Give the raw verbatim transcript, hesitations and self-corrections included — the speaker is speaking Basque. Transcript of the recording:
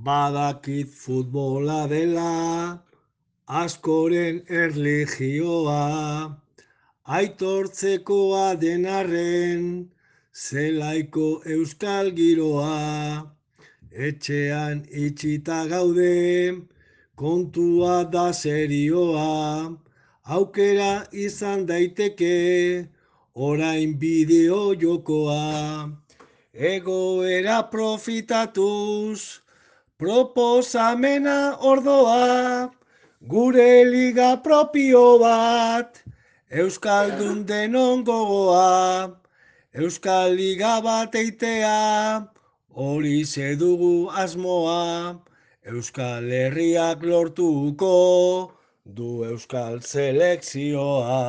Badakit futbola dela, askoren erlijioa, aitortzekoa denarren, zelaiko euskal giroa. Etxean itxita gaude, kontua da serioa, aukera izan daiteke, orain bideo jokoa. Egoera profitatuz, proposamena ordoa, gure liga propio bat, Euskaldun denon gogoa, Euskal Liga bat eitea, hori dugu asmoa, Euskal Herriak lortuko du Euskal Selekzioa.